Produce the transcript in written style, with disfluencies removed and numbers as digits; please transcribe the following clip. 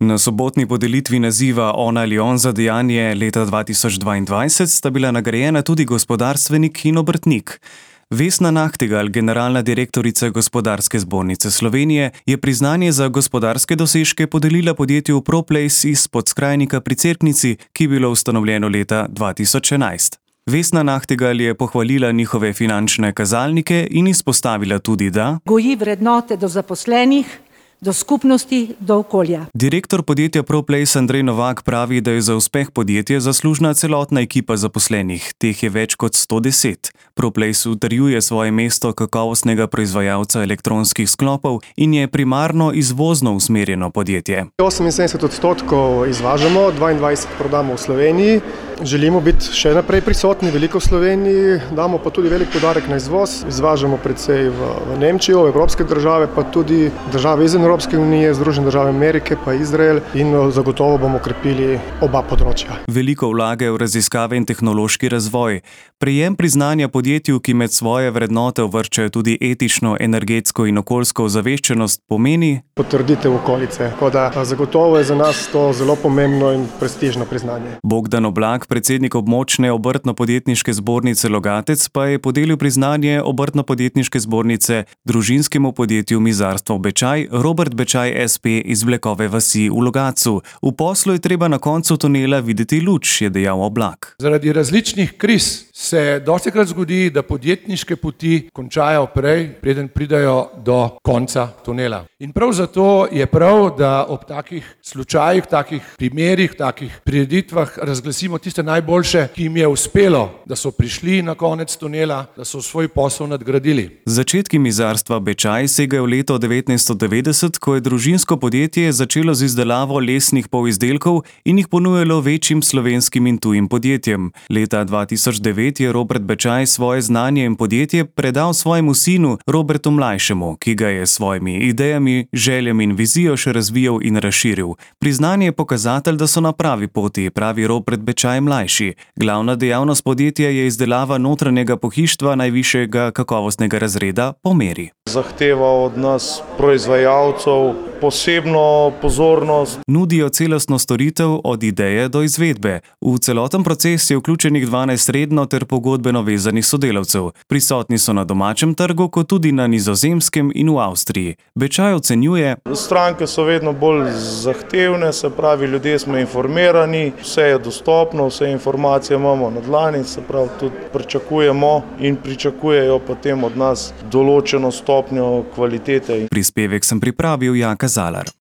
Na sobotni podelitvi naziva On ali on za dejanje leta 2022 sta bila nagrajena tudi gospodarstvenik in obrtnik. Vesna Nahtigal, generalna direktorica Gospodarske zbornice Slovenije, je priznanje za gospodarske dosežke podelila podjetju ProPlace iz Podskrajnika pri Cerknici, ki je bilo ustanovljeno leta 2011. Vesna Nahtigal je pohvalila njihove finančne kazalnike in izpostavila tudi, da goji vrednote do zaposlenih, do skupnosti, do okolja. Direktor podjetja ProPlace Andrej Novak pravi, da je za uspeh podjetja zaslužna celotna ekipa zaposlenih, teh je več kot 110. ProPlace utrjuje svoje mesto kakovostnega proizvajalca elektronskih sklopov in je primarno izvozno usmerjeno podjetje. 78% izvažamo, 22% prodamo v Sloveniji. Želimo biti še naprej prisotni, veliko v Sloveniji, damo pa tudi velik poudarek na izvoz. Izvažamo predvsej v Nemčijo, v evropske države, pa tudi države izven Evropske unije, Združene države Amerike, pa Izrael in zagotovo bomo krepili oba področja. Veliko vlagajo v raziskave in tehnološki razvoj. Prejem priznanja podjetju, ki med svoje vrednote uvrščajo tudi etično, energetsko in okoljsko ozaveščenost, pomeni potrditev okolice. Tako da zagotovo je za nas to zelo pomembno in prestižno priznanje. Bogdan Oblak, predsednik območne obrtno-podjetniške zbornice Logatec, pa je podelil priznanje obrtno-podjetniške zbornice družinskemu podjetju Mizarstvo Bečaj, Robert Bečaj SP iz Vlekove vasi v Logatcu. V poslu je treba na koncu tunela videti luč, je dejal Oblak. Zaradi različnih kriz se dostikrat zgodi, da podjetniške poti končajo prej, preden pridajo do konca tunela. In prav zato je prav, da ob takih slučajih, takih primerih, takih prireditvah razglasimo tiste najboljše, ki jim je uspelo, da so prišli na konec tunela, da so svoj posel nadgradili. Začetki Mizarstva Bečaj segajo v leto 1990, ko je družinsko podjetje začelo z izdelavo lesnih polizdelkov in jih ponujalo večjim slovenskim in tujim podjetjem. Leta 2009 je Robert Bečaj svoje znanje in podjetje predal svojemu sinu Robertu Mlajšemu, ki ga je s svojimi idejami, željami in vizijo še razvijal in razširil. Priznanje je pokazatelj, da so na pravi poti, pravi Robert Bečaj mlajši. Glavna dejavnost podjetja je izdelava notranjega pohištva najvišjega kakovostnega razreda po meri. Zahteva od nas proizvajalcev posebno pozornost. Nudijo celostno storitev od ideje do izvedbe. V celoten proces je vključenih 12 redno ter pogodbeno vezanih sodelavcev. Prisotni so na domačem trgu, kot tudi na Nizozemskem in v Avstriji. Bečaj ocenjuje: stranke so vedno bolj zahtevne, se pravi, ljudje smo informirani, vse je dostopno, vse informacije imamo na dlani, se pravi, tudi pričakujemo in pričakujejo potem od nas določeno stopnjo kvalitete. Prispevek sem pripravil Jaka Zalar.